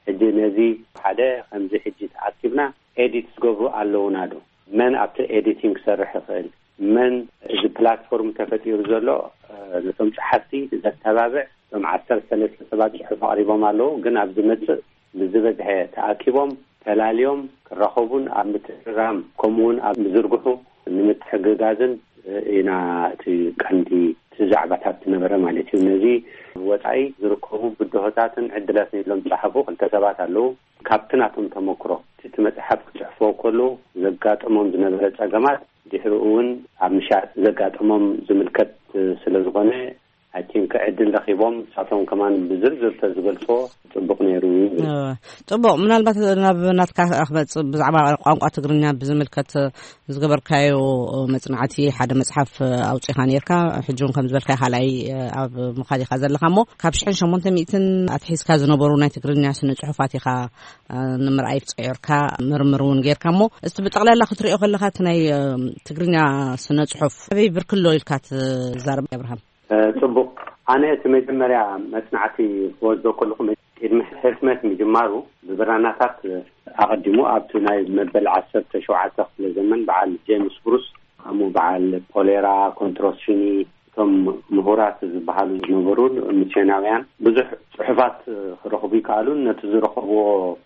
ሕጂ ነዚ ሓደ ከምዚ ሕጂ ተኣኪብና ኤዲት ዝገብሩ ኣለውና ዶ? መን ኣብቲ ኤዲቲንግ ክሰርሕ ይኽእል? መን እዚ ፕላትፎርም ተፈጢሩ ዘሎ፣ እ፣ ነቶም ጸሓፍቲ ዘተባብዕ? እቶም ዓሰርተ ሰለስተ ሰባት ጽሑፍ ኣቕሪቦም ኣለዉ፣ ግን ኣብ ዝመጽእ ብዝበዝሐ ተኣኪቦም ተላልዮም ክራኸቡን ኣብ ምትእርራም ከምኡውን ኣብ ምዝርግሑ ንምትሕግጋዝን ኢና እቲ ቀንዲ እቲ ዛዕባታት ዝነበረ ማለት እዩ። ነዚ ወጻኢ ዝርከቡ ብድሆታትን ዕድላትን ኢሎም ዝጸሓፉ ክልተ ሰባት ኣለዉ። ካብቲ ናቶም ተመክሮ እቲ መጽሓፍ ክጽሕፍዎ ከለዉ ዘጋጠሞም ዝነበረ ጸገማት ድሕሪኡ እውን ኣብ ምሻጥ ዘጋጠሞም ዝምልከት ስለ ዝኾነ፣ ኣይ ቲንክ ዕድል ረኺቦም ንሳቶም ከማን ብዝርዝር ተዝገልጽዎ ጽቡቕ ነይሩ ይብል። እወ፣ ጽቡቕ። ምናልባት ናብ ናትካ ክመጽእ፣ ብዛዕባ ቋንቋ ትግርኛ ብዝምልከት ዝገበርካዮ መጽናዕቲ፣ ሓደ መጽሓፍ ኣውጺኻ ነርካ፣ ሕጂ እውን ከም ዝበልካዮ ካልኣይ ኣብ ምኻድ ኢኻ ዘለኻ። እሞ ካብ ሽሕን ሸሞንተ ሚእትን ኣትሒዝካ ዝነበሩ ናይ ትግርኛ ስነ ጽሑፋት ኢኻ ንምርኣይ ጸዮርካ፣ ምርምር እውን ጌርካ። እሞ እስቲ ብጠቕላላ ክትሪኦ ከለኻ፣ እቲ ናይ ትግርኛ ስነ ጽሑፍ ኣበይ ብርክሎ ኢልካ ትዛረብ ኣብርሃም? እ፣ ጽቡቕ። ኣነ እቲ መጀመርያ መጽናዕቲ ክወስዶ ከለኹ፣ ቅድሚ ሕትመት ምጅማሩ፣ ብብራናታት ኣቐዲሙ ኣብቲ ናይ መበል ዓሰርተ ሸውዓተ ክፍለ ዘመን በዓል ጄምስ ብሩስ፣ ከምኡ በዓል ፖሌራ፣ ኮንትሮሲኒ፣ እቶም ምሁራት ዝበሃሉ ዝነበሩ ሚስዮናውያን ብዙሕ ጽሑፋት ክረኽቡ ይከኣሉ። ነቲ ዝረኸብዎ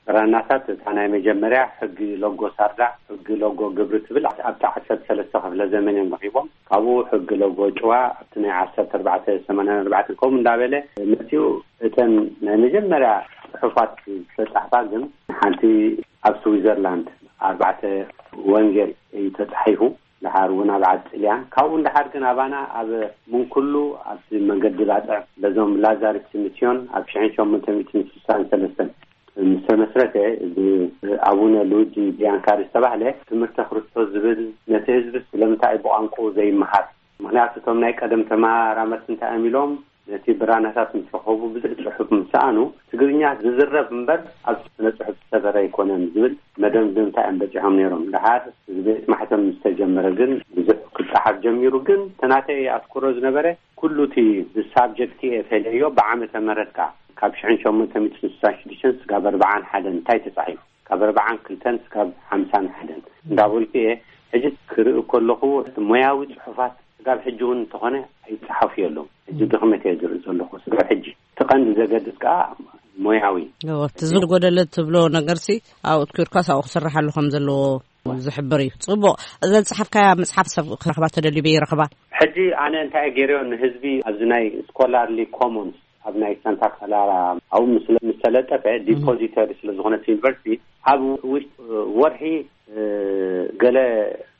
ብራናታት፣ እታ ናይ መጀመርያ ሕጊ ሎጎ ሳርዳ፣ ሕጊ ሎጎ ግብሪ ትብል ኣብቲ ዓሰርተ ሰለስተ ክፍለ ዘመን እዮም ረኺቦም። ካብኡ ሕጊ ሎጎ ጭዋ ኣብቲ ናይ ዓሰርተ ኣርባዕተ ሰማንያን ኣርባዕተን ከምኡ እንዳበለ መጺኡ። እተን ናይ መጀመርያ ጽሑፋት ዝተጻሕፋ ግን ሓንቲ ኣብ ስዊዘርላንድ ኣርባዕተ ወንጌል እዩ ተጻሒፉ። ደሓር እውን ኣብ ዓዲ ጥልያን፣ ካብኡ ንደሓር ግን ኣባና ኣብ ምንኩሉ ኣብቲ መንገዲ ባጽዕ በዞም ላዛሪስት ሚስዮን ኣብ ሽሕን ሸሞንተ ሚእትን ስሳን ሰለስተን ምስ ተመስረተ፣ እዚ ኣቡነ ሉዊጂ ቢያንካሪ ዝተባህለ ትምህርተ ክርስቶስ ዝብል፣ ነቲ ህዝቢ ስለምንታይ ብቋንቋኡ ዘይመሃር? ምኽንያቱ እቶም ናይ ቀደም ተመራመርቲ እንታይ እዮም ኢሎም፣ ነቲ ብራናታት ምስ ረኸቡ፣ ብዙሕ ጽሑፍ ምስ ሰኣኑ፣ ትግርኛ ዝዝረብ እምበር ኣብ ስነ ጽሑፍ ዝሰፈረ ኣይኮነን ዝብል መደምደምታ እዮም በጺሖም ነይሮም። ደሓር እዚ ቤት ማሕተም ምስ ተጀመረ ግን ብዙሕ ክጸሓፍ ጀሚሩ። ግን እቲ ናተይ ኣትኩሮ ዝነበረ፣ ኩሉ እቲ ብሳብጀክት እየ ፈለዮ፣ ብዓመተ ምህረት ከኣ ካብ ሽሕን ሸሞንተ ሚእትን ስሳን ሽዱሽተን ስጋብ ኣርባዓን ሓደን እንታይ ተጻሒፉ፣ ካብ ኣርባዓን ክልተን ስጋብ ሓምሳን ሓደን እንዳበልኩ እየ። ሕጂ ክርኢ ከለኹ፣ ሞያዊ ጽሑፋት ስጋብ ሕጂ እውን እንተኾነ ኣይጸሓፉ የለዉ። ሕጂ ድኽመት እየ ዝርኢ ዘለኹ ስጋብ ሕጂ። እቲ ቀንዲ ዘገድስ ከኣ ሞያዊ። እወ፣ እቲ ዝጎደለ ትብሎ ነገርሲ ኣብኡ ትኪርካስ ኣብኡ ክስርሓሉ ከም ዘለዎ ዝሕብር እዩ። ጽቡቕ። እዛ ዝጸሓፍካያ መጽሓፍ ሰብ ክረኽባ ተደልዩ በይ ይረኽባ? ሕጂ ኣነ እንታይ እየ ገይረዮ ንህዝቢ፣ ኣብዚ ናይ ስኮላርሊ ኮሞንስ ኣብ ናይ ሳንታ ክላራ ኣብኡ ምስ፣ ምስ ተለጠፈ፣ ዲፖዚተሪ ስለ ዝኾነት ዩኒቨርሲቲ፣ ኣብ ውሽጢ ወርሒ፣ እ፣ ገለ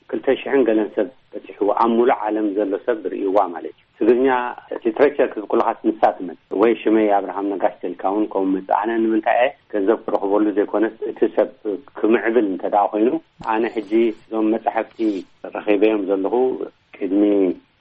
ክልተ ሽሕን ገለን ሰብ በጺሕዎ፣ ኣብ ሙሉእ ዓለም ዘሎ ሰብ ርእይዋ ማለት እዩ። ትግርኛ ሊትሬቸር ክብል ከለኻስ ንሳ ትመጽእ፣ ወይ ሽመይ ኣብርሃም ነጋሽ ተልካ እውን ከምኡ መጽእ። ኣነ ንምንታይ እየ ገንዘብ ክረኽበሉ ዘይኮነስ፣ እቲ ሰብ ክምዕብል እንተ ደኣ ኮይኑ፣ ኣነ ሕጂ እዞም መጻሕፍቲ ረኺበዮም ዘለኹ ቅድሚ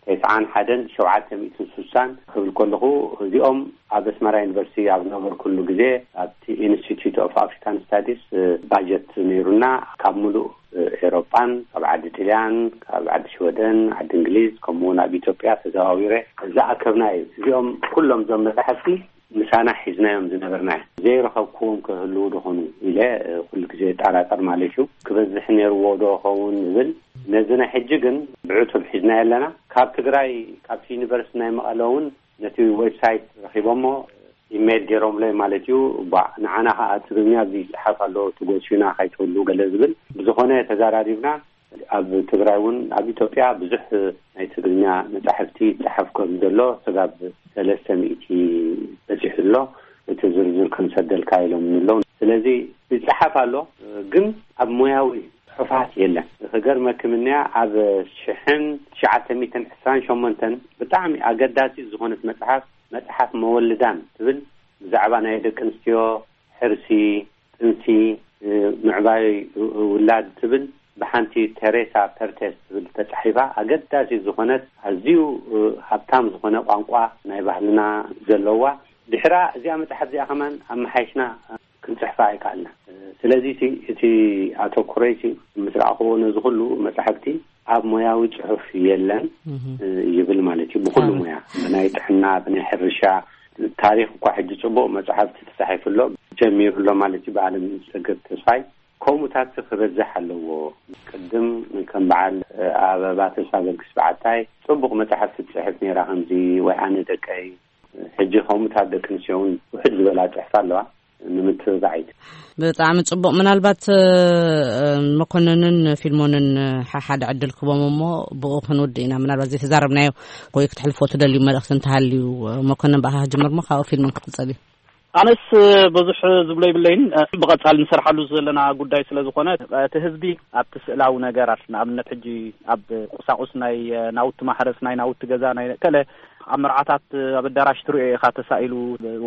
ተስዓን ሓደን ሸውዓተ ሚእትን ስሳን ክብል ከለኹ፣ እዚኦም ኣብ ኣስመራ ዩኒቨርሲቲ ኣብ ነበርኩሉ ግዜ፣ ኣብቲ ኢንስቲትዩት ኦፍ ኣፍሪካን ስታዲስ፣ እ፣ ባጀት ነይሩና። ካብ ሙሉእ፣ እ፣ ኤሮጳን፣ ካብ ዓዲ ጥልያን፣ ካብ ዓዲ ሽወደን፣ ዓዲ እንግሊዝ፣ ከምኡ እውን ኣብ ኢትዮጵያ ተዘዋዊረ ዝኣከብና እዩ። እዚኦም ኩሎም እዞም መጻሕፍቲ ምሳና ሒዝናዮም ዝነበርና እዮም። ዘይረኸብክዎም ክህልዉ ዶ ኾኑ ኢለ፣ እ፣ ኩሉ ግዜ እጠራጠር ማለት እዩ። ክበዝሕ ነይርዎ ዶ ኸውን ዝብል። ነዚ ናይ ሕጂ ግን ብዕቱብ ሒዝናዮ ኣለና። ካብ ትግራይ፣ ካብቲ ዩኒቨርሲቲ ናይ መቐለ እውን ነቲ ዌብሳይት ረኺቦሞ፣ ኢሜይል ገይሮምለይ ማለት እዩ። ባ፣ ንዓና ኸዓ ትግርኛ ኣብዚ ይጽሓፍ ኣሎ፣ ትጎስዩና ከይትህሉ ገለ ዝብል። ብዝኾነ ተዛራሪብና። ኣብ ትግራይ እውን ኣብ ኢትዮጵያ ብዙሕ ናይ ትግርኛ መጻሕፍቲ ይጸሓፍ ከም ዘሎ ስጋብ ሰለስተ ሚእቲ በጺሑ ኣሎ። እቲ ዝርዝር ክንሰደልካ ኢሎም ኣለዉ። ስለዚ ይጸሓፍ ኣሎ፣ ግን ኣብ ሞያዊ ጽሑፋት የለን። ክገርመኪ ምንያ፣ ኣብ ሽሕን ትሽዓተ ሚእትን ዕስራን ሸሞንተን ብጣዕሚ ኣገዳሲት ዝኾነት መጽሓፍ፣ መጽሓፍ መወልዳን ትብል፣ ብዛዕባ ናይ ደቂ ኣንስትዮ ሕርሲ፣ ጥንሲ፣ እ፣ ምዕባይ ው-፣ ውላድ ትብል ብሓንቲ ቴሬሳ ፐርቴስ ትብል ተጻሒፋ፣ ኣገዳሲት ዝኾነት፣ ኣዝዩ፣ እ፣ ሃብታም ዝኾነ ቋንቋ ናይ ባህልና ዘለዋ። ድሕራ እዚኣ መጽሓፍ እዚኣ ከማን ኣመሓይሽና ክንጽሕፋ ኣይከኣልና። ስለዚ እቲ፣ እቲ ኣተኩሮይ እቲ ምስ ረኣኽዎ ነዚ ኩሉ መጻሕፍቲ ኣብ ሞያዊ ጽሑፍ የለን፣ እህ። እ፣ ይብል ማለት እዩ። ብኹሉ ኣበ- ሞያ፣ ብናይ ጥዕና፣ ብናይ ሕርሻ፣ ታሪኽ እኳ ሕጂ ጽቡቕ መጽሓፍቲ ተጻሒፉ ኣሎ፣ ጀሚሩ ኣሎ ማለት እዩ። ብዓለም ሰገድ ተስፋይ ከምኡታት ክበዝሕ ኣለዎ። ቅድም ከም በዓል፣ እ፣ ኣበባ ተስፋ ገርግስ በዓታይ ጽቡቕ መጽሓፍቲ ትጽሕፍ ነይራ፣ ከምዚ ወይ ኣነ ደቀይ። ሕጂ ከምኡታት ደቂ ኣንስትዮ እውን ውሕድ ዝበላ ጽሕፋ ኣለዋ፣ ንምትብባዕ እዩ። ብጣዕሚ ጽቡቕ። ምናልባት፣ እ፣ መኮንንን ፊልሞንን፣ እ፣ ሓሓደ ዕድል ክቦም እሞ ብኡ ክንውድእ ኢና። ምናልባት ዘይተዛረብናዮ ወይ ክትሕልፎ ትደልዩ መልእኽቲ እንተሃልዩ፣ እ፣ መኮንን ብኣኻ ክጅምር እሞ ካብኡ ፊልሞን ክቕጽል እዩ። ኣነስ ብዙሕ ዝብሎ ይብለይን፣ ብቐጻሊ ንሰርሓሉ ዘለና ጉዳይ ስለ ዝኾነ፣ እቲ ህዝቢ ኣብቲ ስእላዊ ነገራት፣ ንኣብነት ሕጂ ኣብ ቁሳቁስ ናይ ናውቲ ማሕረስ፣ ናይ ናውቲ ገዛ፣ ናይ ከለ ኣብ መርዓታት፣ ኣብ ኣዳራሽ ትሪኦ ኢኻ ተሳኢሉ፣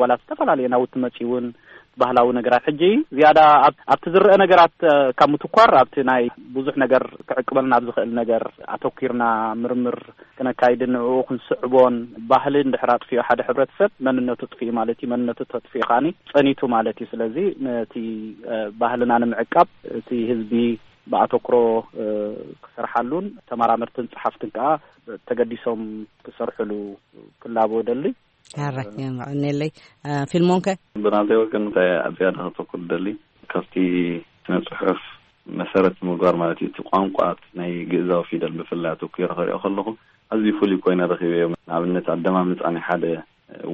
ዋላ ዝተፈላለየ ናውቲ መጺ እውን ባህላዊ ነገራት። ሕጂ ዝያዳ ኣብ-፣ ኣብቲ ዝረአ ነገራት ካብ ምትኳር ኣብቲ ናይ ብዙሕ ነገር ክዕቅበልና ኣብ ዝኽእል ነገር ኣተኲርና ምርምር ክነካይድን ንዕኡ ክንስዕቦን፣ ባህሊ እንድሕር ኣጥፊኡ ሓደ ሕብረተሰብ መንነቱ ጥፊኡ ማለት እዩ። መንነቱ ተጥፊኡ ከኣኒ ጸኒቱ ማለት እዩ። ስለዚ ነቲ፣ እ፣ ባህልና ንምዕቃብ እቲ ህዝቢ ብኣተኩሮ፣ እ፣ ክሰርሓሉን ተመራመርትን ጸሓፍትን ከኣ ተገዲሶም ክሰርሕሉ ክላቦ ደሊ። ኣረ፣ የቐንየለይ። እ፣ ፊልሞንከ? ብናተይ ወገን እንታይ ኣብ ዝያዳ ከተኩር ደሊ፣ ካብቲ ስነ ጽሑፍ መሰረት ምግባር ማለት እዩ። እቲ ቋንቋ ናይ ግእዛዊ ፊደል ብፍላይ ኣተኲረ ክሪኦ ከለኹ ኣዝዩ ፍሉይ ኮይነ ረኺበዮ። ንኣብነት ኣደማምጻ ናይ ሓደ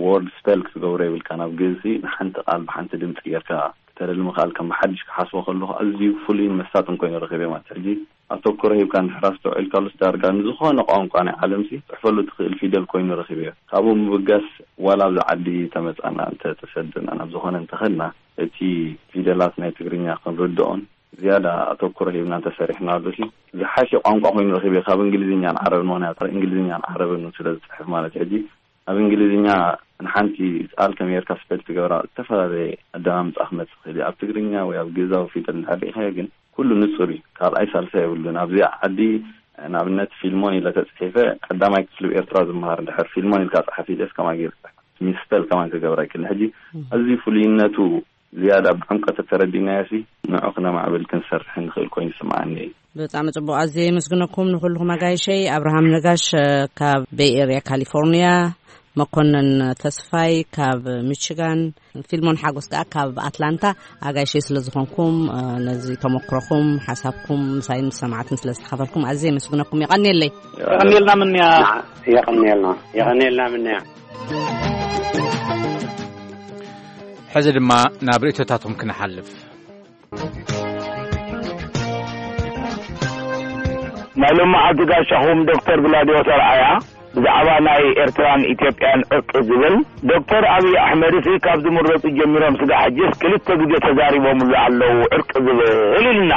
ወርድ ስፐል ክትገብሮ የብልካ። ናብ ግእዚ ንሓንቲ ቃል ብሓንቲ ድምፂ ጌርካ ክተደሊ ምኽኣል ከም ብሓድሽ ክሓስቦ ከለኹ ኣዝዩ ፍሉይን መሳጥን ኮይኑ ረኺበ ማለት። ሕጂ ኣተኩሮ ሂብካ እንድሕር ኣስተውዒልካሉስ ዳርጋ ንዝኾነ ቋንቋ ናይ ዓለምሲ ትፅሕፈሉ ትኽእል ፊደል ኮይኑ ረኺበዮ። ካብኡ ምብጋስ ዋላ ኣብዚ ዓዲ ተመፃና እንተ ተሰድና ናብ ዝኾነ እንተኸድና እቲ ፊደላት ናይ ትግርኛ ክንርድኦን ዝያዳ ኣተኩሮ ሂብና እንተሰሪሕናሉሲ ዝሓሸ ቋንቋ ኮይኑ ረኺበዮ ካብ እንግሊዝኛን ዓረብን። ምኽንያቱ እንግሊዝኛን ዓረብን ስለ ዝፅሕፍ ማለት ሕጂ ኣብ እንግሊዝኛ ንሓንቲ ቃል ከመይ ጌርካ ስፐል ትገብራ ዝተፈላለየ ኣደማምፃ ክመፅእ ይኽእል እዩ። ኣብ ትግርኛ ወይ ኣብ ግእዛዊ ፊደል እንድሕር ርኢኻዮ ግን ኩሉ ንፁር እዩ። ካልኣይ ሳልሳይ የብሉን። ኣብዚ ዓዲ ንኣብነት ፊልሞን ኢለ ተፅሒፈ ቀዳማይ ክፍሊ ኤርትራ ዝመሃር እንድሕር ፊልሞን ኢልካ ፀሓፍ ኢለስ ከማን ጌርካ ሚስፐል ከማን ክገብራ ይክእል። ሕጂ ኣዝዩ ፍሉይነቱ ዝያዳ ብዕምቀት ተረዲናዮሲ ንዑ ክነማዕብል ክንሰርሕ ንኽእል ኮይኑ ይስምዓኒ እዩ። ብጣዕሚ ጽቡቕ። ኣዝየ የመስግነኩም ንኹልኹም ኣጋይሸይ። ኣብርሃም ነጋሽ፣ እ፣ ካብ ቤይ ኤርያ ካሊፎርኒያ፣ መኮነን ተስፋይ ካብ ሚችጋን፣ ፊልሞን ሓጎስ ከኣ ካብ ኣትላንታ። ኣጋይሸይ ስለ ዝኾንኩም፣ እ፣ ነዚ ተመክሮኹም፣ ሓሳብኩም ምሳይን ምስ ሰማዕትን ስለ ዝተኻፈልኩም ኣዝየ የመስግነኩም። የቐንየለይ። የቐንየልና ምንያ። ንዓ-፣ የቐንየልና፣ የቐንየልና ምንያ። ሕዚ ድማ ናብ ርእይቶታትኩም ክንሓልፍ። ናይ ሎመዓልቲ ጋሻኹም ዶክተር ግላድዮስ ኣርኣያ ብዛዕባ ናይ ኤርትራን ኢትዮጵያን ዕርቂ ዝብል፣ ዶክተር ኣብይ ኣሕመድሲ ካብ ዝምረጹ ጀሚሮም ስጋ ሕጅስ ክልተ ግዜ ተዛሪቦምሉ ኣለዉ ዕርቂ ዝብል ኢልና።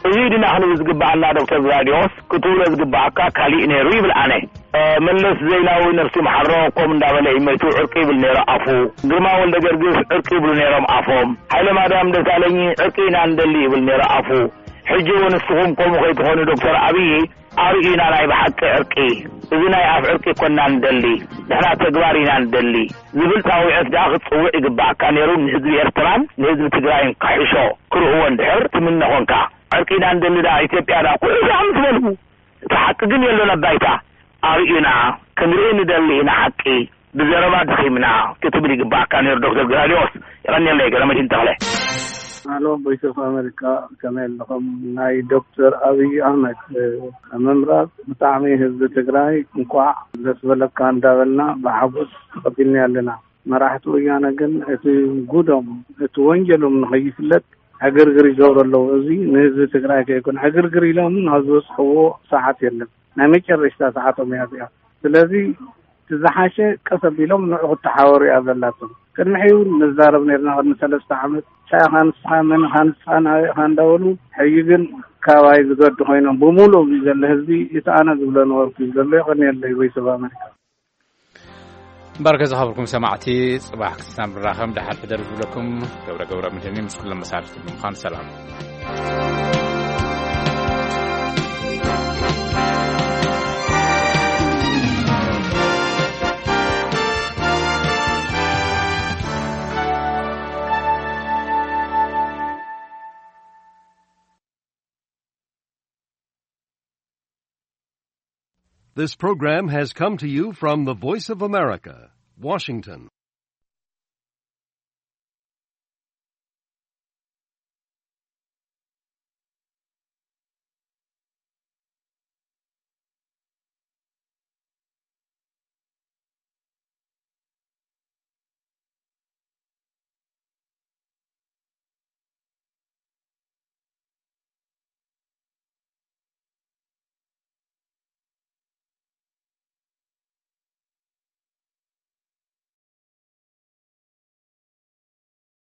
እዚ ድና ክንብል ዝግብኣና ዶክተር ግላድዮስ ክትብሎ ዝግብኣካ ካሊእ ነይሩ ይብል ኣነ። እ፣ መለስ ዜናዊ ነፍሲ መሓሮ ኮም እንዳበለ እዩ መይቱ ዕርቂ ይብል ነይሩ ኣፉ። ግርማ ወልደ ገርግስ ዕርቂ ይብሉ ነይሮም ኣፎም። ሃይለ ማርያም ደሳለኝ ዕርቂ ኢና ንደሊ ይብል ነይሩ ኣፉ። ሕጂ እውን ንስኹም ከምኡ ከይትኾኑ ዶክተር ኣብይ ኣርእዩና ናይ ብሓቂ ዕርቂ። እዚ ናይ ኣፍ ዕርቂ ኮና ንደሊ። ንሕና ተግባር ኢና ንደሊ ዝብል ጻውዒት ደኣ ክትጽውዕ ይግባኣካ ነይሩ ንህዝቢ ኤርትራን ንህዝቢ ትግራይን ክሕሾ ክርእዎ እንድሕር ትምነ ኮንካ። ዕርቂ ኢና ንደሊ ደኣ ኢትዮጵያ ደኣ ኩሉ ደኣ ምስ በሉ እቲ ሓቂ ግን የሎን ኣብ ባይታ። ኣርእዩና፣ ክንርኢ ንደሊ ኢና ሓቂ። ብዘረባ ደኺምና ክትብል ይግባኣካ ነይሩ ዶክተር ግላድዮስ። የቐንየለይ ገረመድህን ተኽለ። ኣሎ ቮይስ ኦፍ ኣሜሪካ ከመይ ኣለኹም? ናይ ዶክተር ኣብይ ኣህመድ፣ እ፣ ምምራጽ ብጣዕሚ ህዝቢ ትግራይ እንኳዕ ደስ በለካ እንዳበልና ብሓጎስ ተቐቢልና ኣለና። መራሕቲ ወያነ ግን እቲ ጉዶም፣ እቲ ወንጀሎም ንኸይፍለጥ ዕግርግር ይገብሩ ኣለዉ። እዚ ንህዝቢ ትግራይ ከይኮነ ዕግርግር ኢሎም ናብ ዝበፅሕዎ ሰዓት የለን። ናይ መጨረሽታ ሰዓቶም እያ እዚኣ። ስለዚ እቲ ዝሓሸ ቀስ ኣቢሎም ንዑ ክተሓወሩ እያ ዘላቶም። ቅድሚ ሕዩ እውን ንዛረብ ነርና፣ ቅድሚ ሰለስተ ዓመት። እንታይ ኢኻ ንስኻ፣ መን ኢኻ ንስኻ፣ ናበይ ኢኻ እንዳበሉ፣ ሕዩ ግን ካባይ ዝገዱ ኮይኖም ብምሉእ እዚ ዘሎ ህዝቢ እቲ ኣነ ዝብሎ ነበርኩ እዩ ዘሎ። የቐንየለይ ቮይስ ኦፍ ኣሜሪካ። እምበኣርከ ዝኸበርኩም ሰማዕቲ፣ ጽባሕ ክሳብ ንራኸብ ደሓን ሕደሩ ዝብለኩም ገብረ ገብረ መድህን ምስ ኩሎም መሳርሕቲ ብምዃን ሰላም። This program has come to you from the Voice of America, Washington.